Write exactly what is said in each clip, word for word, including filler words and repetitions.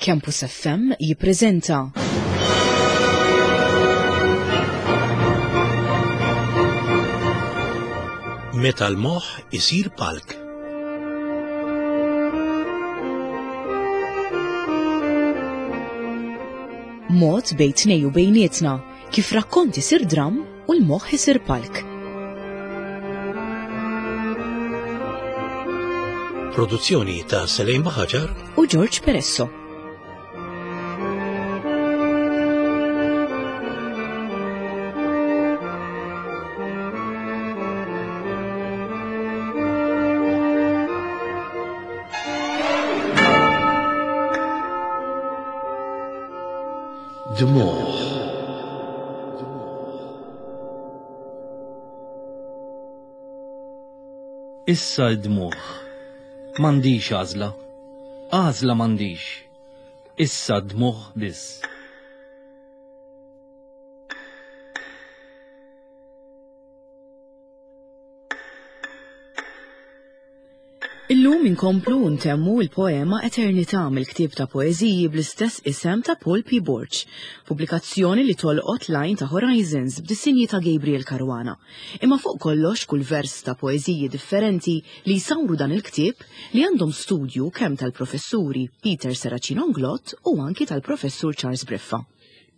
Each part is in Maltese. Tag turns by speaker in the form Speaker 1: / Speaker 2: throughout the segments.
Speaker 1: Campus F M jippreżenta
Speaker 2: Meta l-moħħ isir palk.
Speaker 1: Mod bejn tnejn u bejnietna kif rakkont isir dram u l-moħħ isir palk.
Speaker 2: Produzzjoni ta' Selejn Baħaġar
Speaker 1: u George Peresso.
Speaker 2: Dmuħ.
Speaker 3: Issa d-dmuħ. M'għandix għażla. Għażla m'għandix. Issa d-dmuħ biss.
Speaker 1: Illum inkomplu ntemmu il-poema Eternità mill-ktieb ta' poeżiji bl-istess isem ta' Paul P. Borg, pubblikazzjoni li tolqot l-għajn ta' Horizons b'disinji ta' Gabriel Caruana. Imma fuq kollox, kull vers ta' poeżiji differenti li jsawru dan il-ktieb li għandhom studju kemm tal-professuri Peter Serracino Inglott u anki tal-professur Charles Briffa.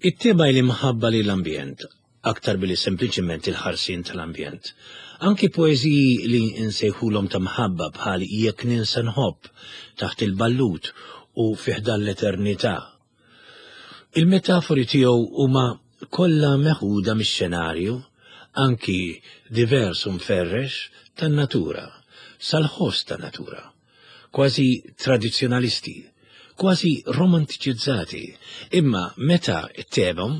Speaker 2: It-tema l-imħabba li l-ambjent, aktar billi sempliċement il-ħarsien tal-ambjent. Anki poeżiji li nsejħulhom ta' mħabba bħal Jekk ninsa nħobb, Taħt il-ballut u Fi ħdan l-eternità. Il-metafori tiegħu huma kollha meħuda mix-xenarju, anki divers u mferrex, tan-natura, sal-ħoss tan-natura. Kważi tradizzjonalisti, kważi romantiċizzati, imma meta ttebhom,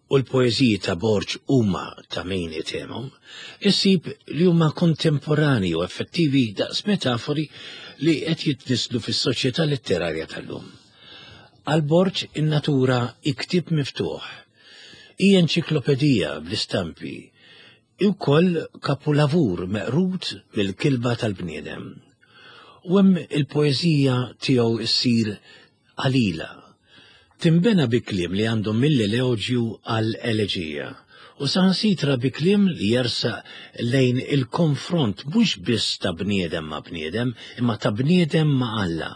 Speaker 2: u l-poeżiji ta' Borg huma ta' min itemhom, issib li huma kontemporani u effettivi daqs metafori li qed jitnislu fis-soċjetà letterarja tal-lum. Għal Borg in-natura hi ktieb miftuħ, hi enċiklopedija bl-istampi, hi wkoll kapulavur meqrud mill-kilba tal-bniedem. U hemm il-poeżija tiegħu ssir qalila. Tinbena bi kliem li għandhom mill-eloġju għal eleġija u saħansitra bi kliem li jersaq lejn il-konfront mhux biss ta' bniedem ma' bniedem, imma ta' bniedem ma' Alla,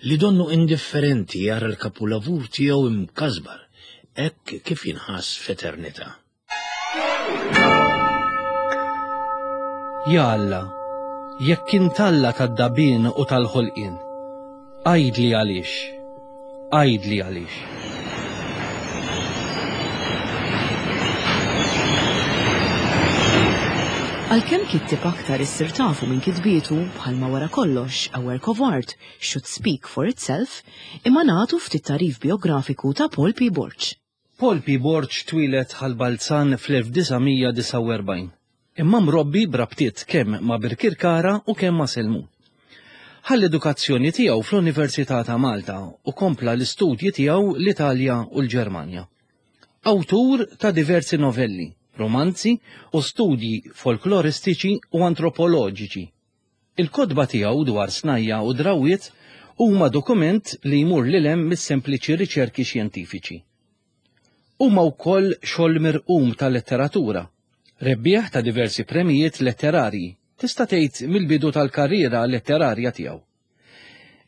Speaker 2: li donnu indifferenti jara l-kapulavur tiegħu imkasbar, hekk kif jinħass f'eternità.
Speaker 3: Ja Alla, jekk int Alla tad-dabien u tal-ħolqien, għidli għaliex, għidli għaliex.
Speaker 1: Għalkemm kittieb aktar issir tafu minn kitbietu, bħalma wara kollox a work of art should speak for itself, imma nagħtu ftit tagħrif biografiku ta' Paul P. Borg.
Speaker 3: Paul P. Borg twieled Ħal Balzan fl-elf disa' mija disgħa u erbgħin. Imma mrobbi brabtiet kemm ma' Birkirkara u kemm ma' Selmun. Ħa l-edukazzjoni tiegħu fl-Università ta' Malta u kompla l-istudji tiegħu l-Italja u l-Ġermanja. Awtur ta' diversi novelli, romanzi u studji folkloristiċi u antropoloġiċi. Il-kotba tiegħu dwar snajja u drawiet huma dokument li jmur lil hemm mis-sempliċi riċerki xjentifiċi. Huma wkoll xogħol mirqum ta' letteratura, rebbieħ ta' diversi premijiet letterarji, tista' tgħid mill-bidu tal-karriera letterarja tiegħu.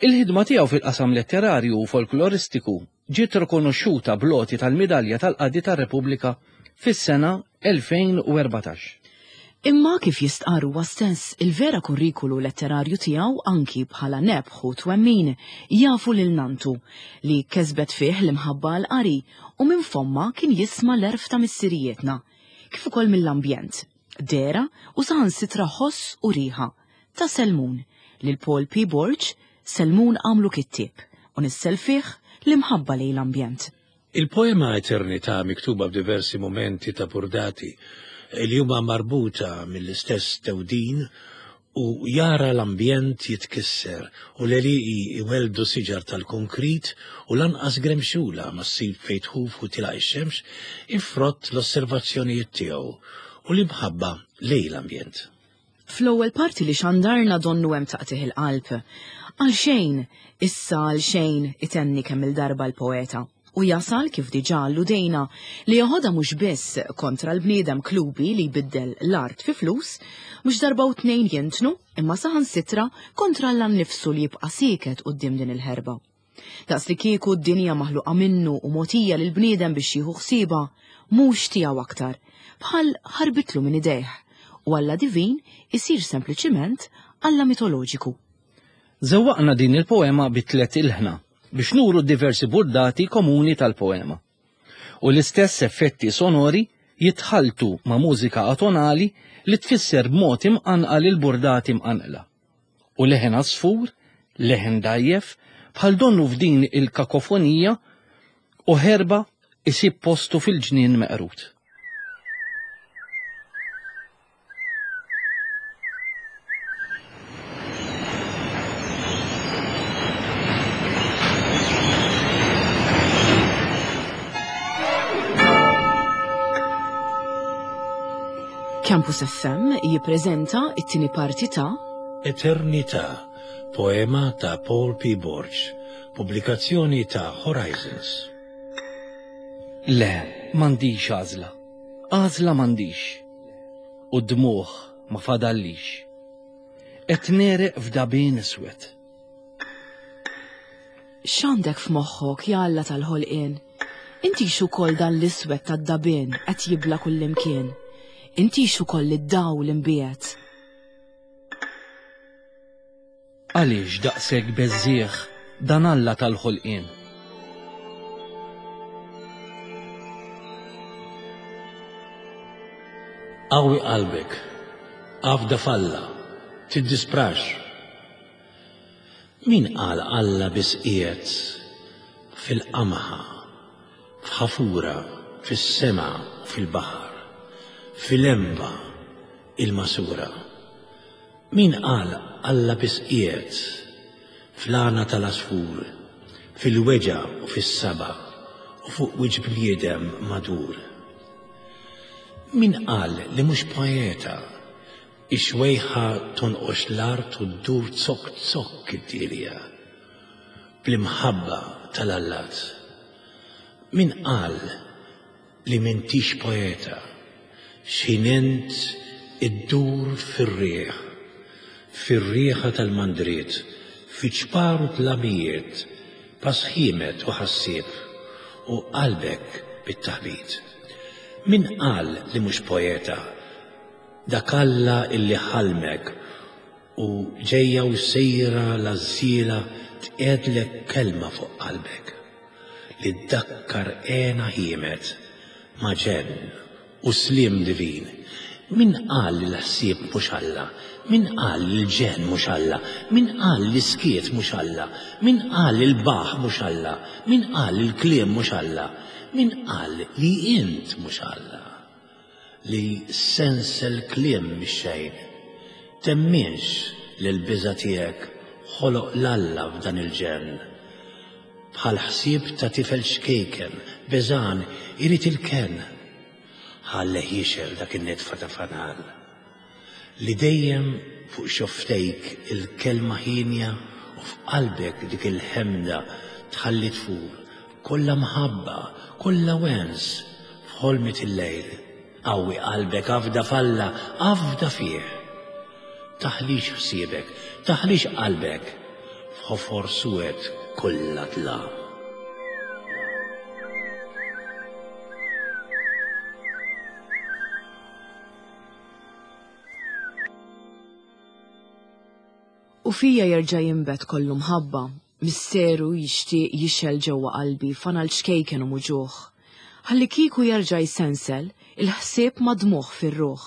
Speaker 3: Il-ħidma tiegħu fil-qasam letterarju u folkloristiku ġiet rikonoxxuta bl-għoti tal-Midalja tal-Qadi tar-Repubblika fis-sena elfejn u erbatax.
Speaker 1: Imma kif jistqarr huwa stess, il-vera kurrikulu letterarju tiegħu, anki bħala nebħ u twemmin, jafu lil nantu li kesbet fih l-imħabba għal qari u minn fomma kien jisma' l-għerf ta' missirijietna, kif ukoll mill-ambjent, dehra u saħansitra ħoss u riħa ta' Selmun lil Paul P. Borg. Selmun għamlu kittieb u nissel fih l-imħabba lejn l-ambjent.
Speaker 2: Il-poema Eternità, miktuba f'diversi momenti ta' burdati li huma marbuta mill-istess tewdin u jara l-ambjent jitkisser u l-għelieqi iweldu siġar tal-konkrit u lanqas gremxula ma ssib fejn tħuf u tilaq ix-xemx, ifrott l-osservazzjonijiet tiegħu u l-imħabba lejn l-ambjent.
Speaker 1: Fl-ewwel parti li xandarna donnu hemm taqtigħ il-qalb. Għalxejn, issa għalxejn, itenni kemm il-darba l-poeta. U jasal kif diġà alludejna li joħodha mhux biss kontra l-bniedem klubi li jbiddel l-art fi flus, mhux darba u tnejn jintnu, imma saħansitra kontra Alla nnifsu li jibqa' sieket quddiem din il-ħerba. Daqs li kieku d-dinja maħluqa minnu u mogħtija lill-bniedem biex jieħu ħsiebha, mhux tiegħu aktar, bħal ħarbitlu minn idejh, u Alla divin isir sempliċiment Alla mitoloġiku.
Speaker 3: Żewwaqna din il-poema bi tliet ilħna biex nuru diversi burdati komuni tal-poema. U l-istess effetti sonori jitħaltu ma' mużika atonali li tfisser b'mod imqanqal il-burdati mqanqla. U leħen għasfur, leħen dajjef, bħal donnu f'din il-kakofonija u ħerba isib postu fil-ġnien meqrut.
Speaker 1: Campus F M jippreżenta it-tieni parti ta'
Speaker 2: Eternità, poema ta' Paul P. Borg, pubblikazzjoni ta' Horizons.
Speaker 3: Le, m'għandix għażla. Għażla m'għandix. U d-dmuħ ma fadallix. Qed nereq f'dabien iswed.
Speaker 1: X'għandek f'moħħok, ja Alla tal-ħolqien? Intix ukoll dan l-iswed tad-dabien qed jibla kullimkien. Intix ukoll id-dawl imbiegħed.
Speaker 3: Għaliex daqshekk beżżieħ dan Alla tal-ħolqien?
Speaker 2: Qawwi qalbek, afda f'Alla, tiddisprax. Min qal Alla biss qiegħed fil-qamħa, f'ħafura, fis-sema u fil-baħar, fil-emba il-masura? Min qal Alla biss qiegħed fl-għana tal-għasfur, fil-weġgħa u fis-saba u fuq wiċċ bniedem madur? Min qal li mhux poeta, ix-xwejħa tonqox l-art u ddur zokk zokk id-dilja bl-imħabba tal-allat? Min qal li m'intix poeta, x'ħin int iddur fir-riħ, fir-riħa tal-mandriet, fi ċpar u tlamijiet, pasħimet u ħassieb, u qalbek bit-taħbit? Min qal li mhux poeta, dak Alla illi ħalmek u ġejja u sejra l-għażiela tqiegħdlek kelma fuq qalbek li ddakkar għena ħiemet ma' ġenn u slim divin? Min qal li l-ħsieb mhux Alla? Min qal li l-ġenn mhux Alla? Min qal li l-iskiet mhux Alla? Min qal li l-baħ mhux Alla? Min qal li l-kliem mhux Alla? Min qal li int mhux Alla? Li sensel kliem mix-xejn. Temminx li l-biża' tiegħek ħoloq l-Alla f'dan il-ġenn. Bħal ħsieb ta' tifel xkejken, beżan, irid il-kenn. Ħalleh jixel dak in-nitfa ta' fanal. Li dejjem fuq xoftejk il-kelma ħinja u f'qalbek dik il-ħemda tħalli tfur, kollha mħabba, kollha wens, f'ħolmit il-lejl. Qawwi qalbek, afda f'Alla, afda fih. Taħlix ħsiebek, taħlix qalbek, f'ħofor suwed kollha dlam.
Speaker 1: U fija jerġa' jinbet kollu mħabba, misteru jixtieq jixel ġewwa qalbi fanal ċkejken u muġuħ. Ħalli kieku jerġa' jsensel il-ħsieb madmuħ fir-ruħ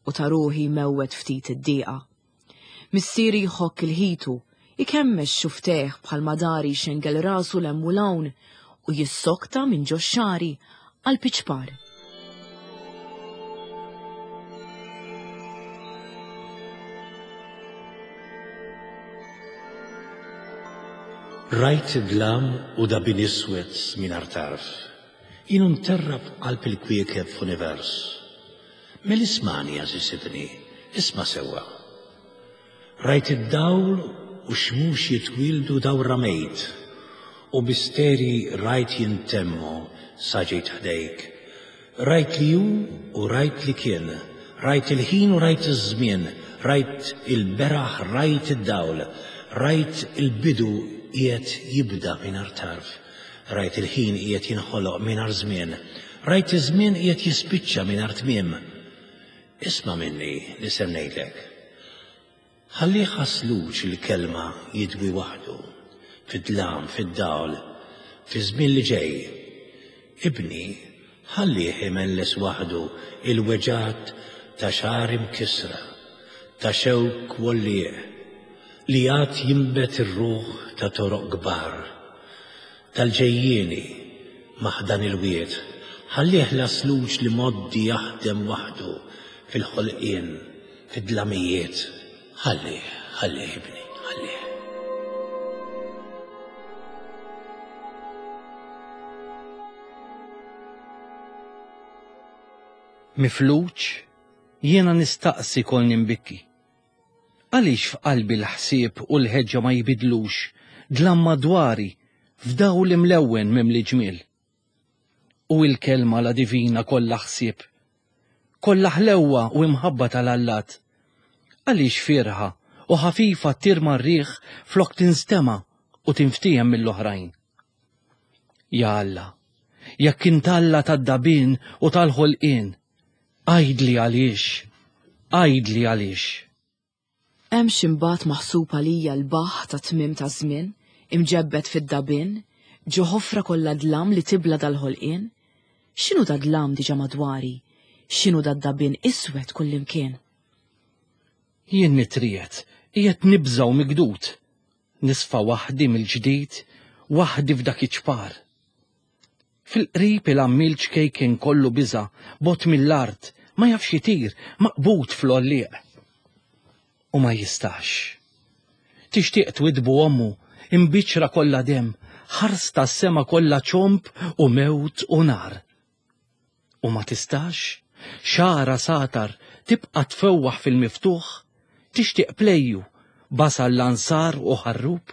Speaker 1: u ta' ruħi mewwet ftit id-dieqa. Missieri jħokk il-ħitu, ikemmex xufteh bħal madari xengel rasu l-hemm u l-hawn u jissokta minn ġo xari għal piċpar.
Speaker 2: Rajt dlam u dabin iswed mingħajr tarf. Jien nterrab qalb il-kwiekeb f'univers. Mel ismani għażiż ibni, isma' sewwa. Rajt id-dawl u xmux jitwildu dawra mejt, u misteri rajt jintemmu sa ġejt ħdejk. Rajt li hu u rajt li kien, rajt il-ħin u rajt iż-żmien, rajt il-beraħ, rajt id-dawl, rajt il-bidu qiegħed jibda mingħajr tarf, rajt il-ħin qiegħed jinħoloq mingħajr żmien, rajt iż-żmien qiegħed jispiċċa mingħajr tmiem. Isma' minni li ser ngħidlek. Ħalli ħasluċ il-kelma jidwi waħdu, fid-dlam, fid-dawl, fi żmien li ġej. Ibni, ħallih imelles waħdu il-weġgħat ta' xagħar imkissra, ta' xewk wollieq, li għad jinbet ir-ruħ ta' toroq kbar, tal-ġejjieni maħdan il-wied, ħallih l-asluġ li moddi jaħdem waħdu fil-ħolqien, fid-dlamijiet. Ħallih, ħallih ibni, ħallih.
Speaker 3: Mifluġ, jiena nistaqsi kolni mbikki. Għaliex f'qalbi l-ħsieb u l-ħeġġa ma jibidlux dlam madwari f'dawl imlewwen mimli ġmiel. U il-kelma la divina kollha ħsieb, kollha ħlewwa u imħabba tal-allat. Għaliex firħa u ħafifa tirma r-riħ flok tinstema' u tinftiehem mill-oħrajn. Ja Alla, jekk int Alla tad-dabien u tal-ħolqien, għidli għaliex, għidli għaliex.
Speaker 1: Hemm x'imbagħad maħsub għalija l-baħ ta' tmiem ta' żmien, imġebbed fid-dabien, ġo ħofra kollha dlam li tibla dal-ħolqien? X'inhu da dlam diġà madwari? X'inhu da dabien iswed kullimkien?
Speaker 3: Jien nitriet, qiegħed nibża' u migdud, nisfa waħdi mill-ġdid, waħdi f'dak iċ-ċpar. Fil-qrib il-għammiel ċkejken kollu biża', bot mill-art, ma jafx jitir, maqbud fl-għollieq. U ma jistax. Tixtieq twidbu ommu, imbiċra kollha demm, ħarsta s-sema kollha ċomb u mewt u nar. U ma tistax, xara satar tibqa' tfewwaħ fil-miftuħ, tixtieq plejju, basal l-ansar u ħarrub.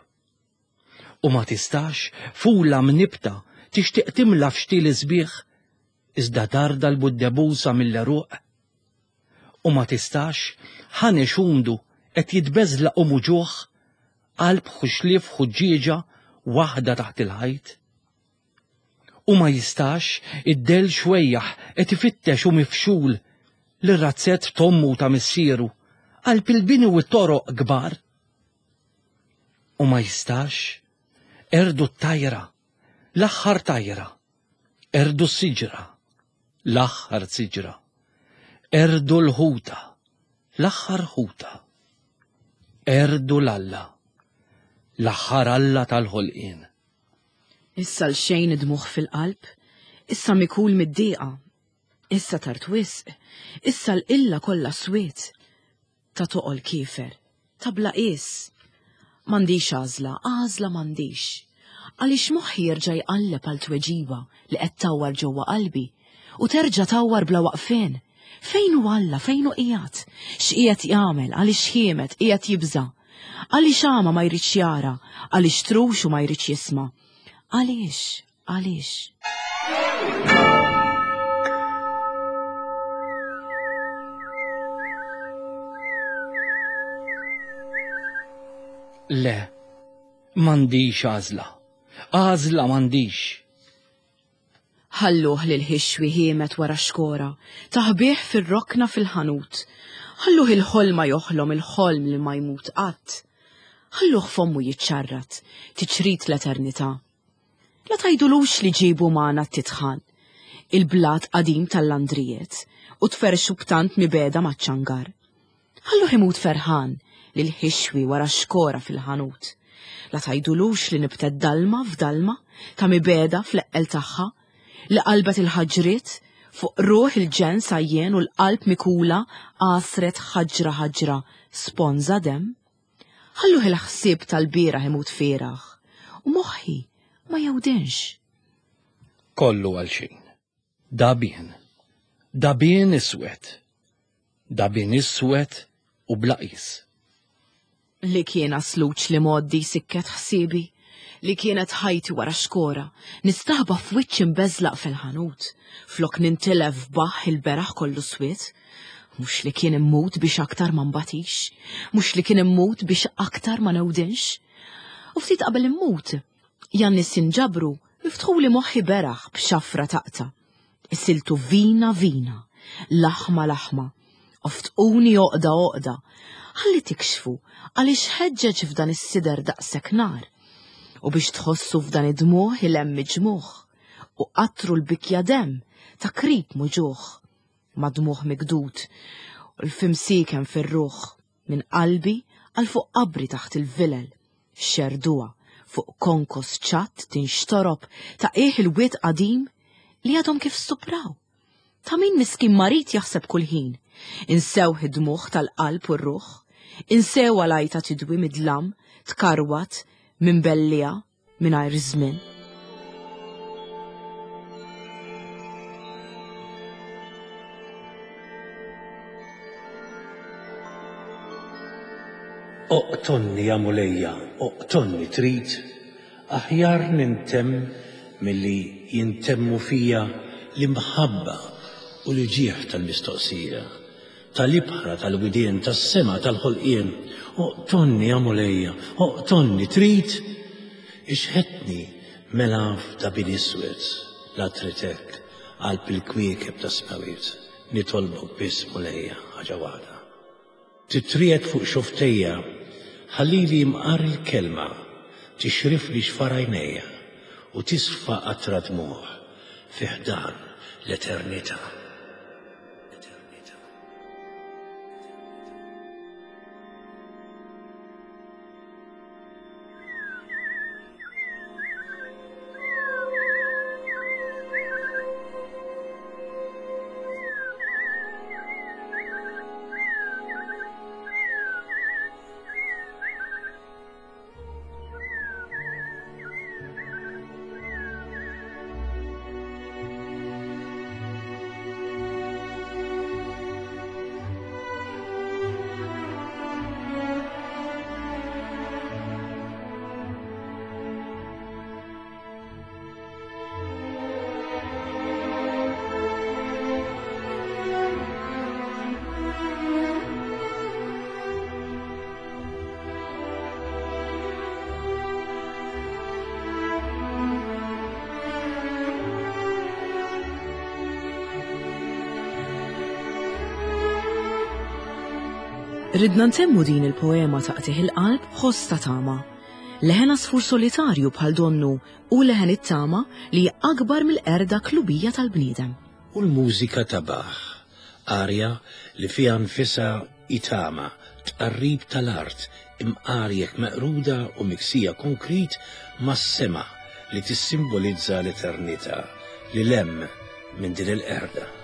Speaker 3: U ma tistax, fula mnibta, tixtieq timla f'xtil sbieħ, iżda tarda l-buddebusa mill-eruq. U ma tistax, ħanex umdu qed jitbeżlaq u muġuħ, qalb ħuxlief ħuġġieġa waħda taħt il-ħajt. U ma jistax, id-del xwejjaħ qed ifittex u mifxul lir-razzett t'ommu ta' missieru, qalb il-bini u t-toroq kbar. U ma jistax, erdu t-tajra, l-aħħar tajra, erdu s-siġra, l-aħħar siġra, erdu l-ħuta, l-aħħar ħuta, erdu l-Alla, l-aħħar Alla tal-ħolqien.
Speaker 1: Issa l-xejn id-dmuħ fil-qalb, issa mikul mid-dieqa, issa tard wisq, issa l-illa kollha swiet, ta' toqol kiefer, ta' bla qies. M'għandix għażla, għażla m'għandix. Għaliex moħħi jerġa' jqalleb għal tweġiba li qed tawwar ġewwa qalbi u terġa' tawwar bla waqfien. Fejn hu Alla, fejn hu qiegħed? X'qiegħed jagħmel, għaliex ħiemet, qiegħed jibża'? Għaliex għama ma jridx jara, għaliex trux u ma jridx jisma'? Għaliex, għaliex?
Speaker 3: Le, m'għandix għażla. Għażla m'għandix.
Speaker 1: Ħalluh lil ħixwi ħiemet wara xkora, taħbih fir-rokna fil-ħanut. Ħalluh il-ħolma joħlom il-ħolm li ma jmut qatt. Ħalluh fommu jiċċarrat, tiċrit l-eternità. La tgħidulux li ġibu magħna t-titħan, il-blat qadim tal-landrijiet, u tferxu b'tant mibeda maċ-ċangar. Ħalluh imut ferħan lil ħixwi wara xkora fil-ħanut. La tgħidulux li nibtet dalma f'dalma ta' mibeda fl-eqqel tagħha, li qalbet il-ħaġriet fuq ruħ il-ġen sajjen u l-qalb mikula għasret ħaġra ħaġra sponża demm. Ħalluh il-ħsieb tal-bieraħ imut fieraħ u moħħi ma jewdinx.
Speaker 3: Kollu għal xejn. Dabien. Dabien iswed. Dabien iswed u bla qis.
Speaker 1: Li kien asluċ li moddi sikket ħsiebi, li kienet ħajti wara xkora, nistaħba f'wiċċ imbeżlaq fil-ħanut, flok nintilef baħ il-beraħ kollu swiet, mhux li kien immut biex aktar ma nbatix, mhux li kien immut biex aktar ma newdinx. U ftit qabel immut, jan-nies jinġabru miftħuli moħħi beraħ b'xafra taqta. Isiltu vina vina, laħma laħma, oftquni oqda oqda, ħalli tikxfu għaliex ħeġġeġ f'dan is-sider daqshekk nar, u biex tħossu f'dan id-dmugħ il-hemm ġmuħ, u qattru l-bikja demm ta' krib muġuħ, ma' dmugħ mikdud, u l-fimsiken fir-ruħ, minn qalbi għal fuq qabri taħt il-vilel, xerduha fuq konkos ċatt tinxtorob ta' qiegħ il-wied qadim li għadhom kif stupraw. Ta' min miskin marid jaħseb kull ħin, insew id-dmugħ tal-qalb u r-ruħ, insew għalajta tidwi mid-dlam, tkarwat minn bellija mingħajr żmien.
Speaker 2: Oqtonni ja Mulejja, oqtonni trid, aħjar nintemm milli jintemmu fija l-imħabba u l-ġieħ tal-mistoqsija, tal-ibħra tal-widien, tas-sema tal-ħolqien. Oqtonni ja Mulejja, oqtonni trid, ixħetni mela f'dabin iswed, la tritek qalb il-kwiekeb tas-smawiet. Nitolbok biss Mulejja ħaġa waħda. Titriet fuq xoftejja, ħallili mqar il-kelma, tixrifli xfar għajnejja u tisfa qatra dmugħ fi ħdan l-eternità.
Speaker 1: Ridna ntemmu din il-poema taqtih il-qalb b'ħoss ta' tama. Leħen għasfur solitarju bħal donnu u leħen it-tama li akbar mill-qerda klubija tal-bniedem.
Speaker 2: U l-mużika ta' Bach, arja li fiha nfisha itama, tqarrib tal-art, imqarjek meqruda u miksija konkrit mas-sema li tissimbolizza l-eternità li lem minn din il-qerda.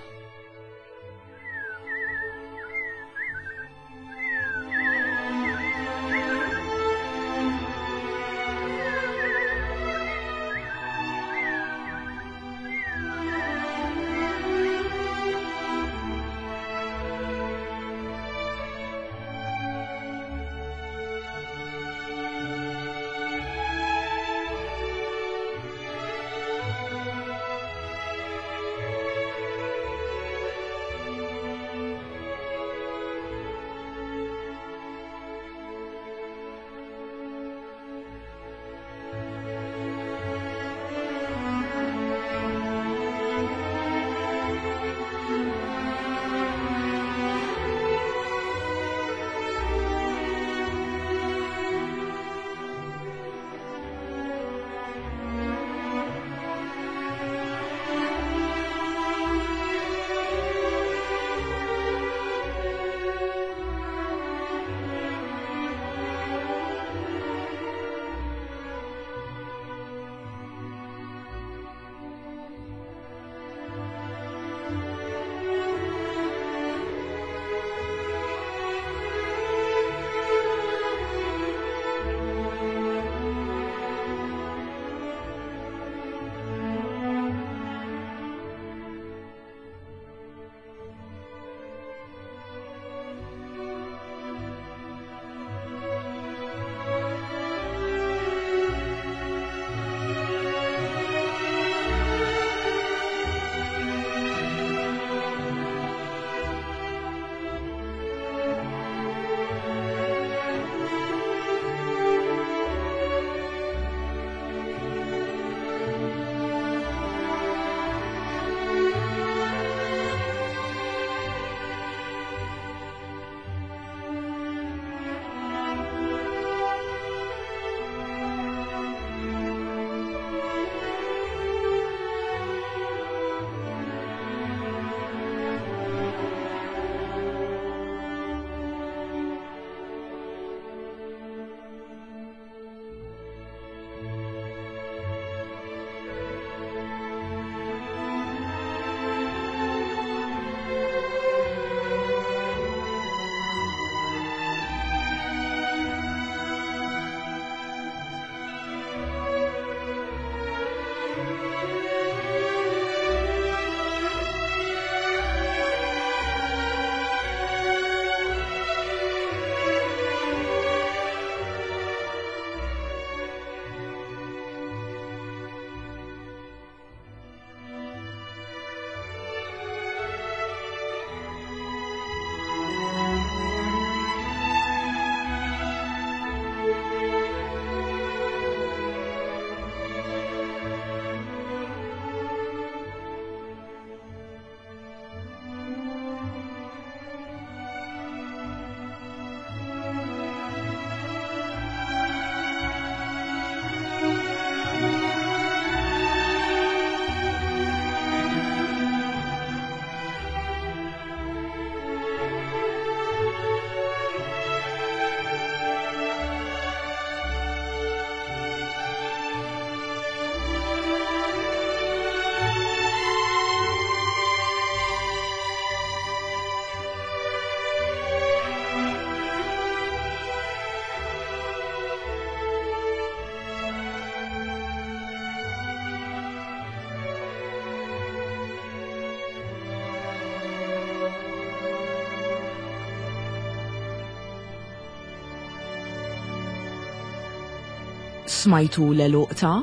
Speaker 1: Smajtu l-għeluq ta'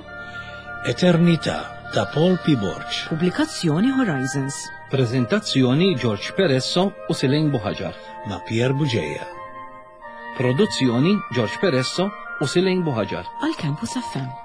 Speaker 2: Eternità ta' Paul P. Borg.
Speaker 1: Pubblikazzjoni Horizons.
Speaker 3: Prezentazzjoni George Peresso u Silene Buhaġar.
Speaker 2: Ma' Pier Bugeja.
Speaker 3: Produzzjoni George Peresso u Silene Buhaġar.
Speaker 1: Għal Campus F M.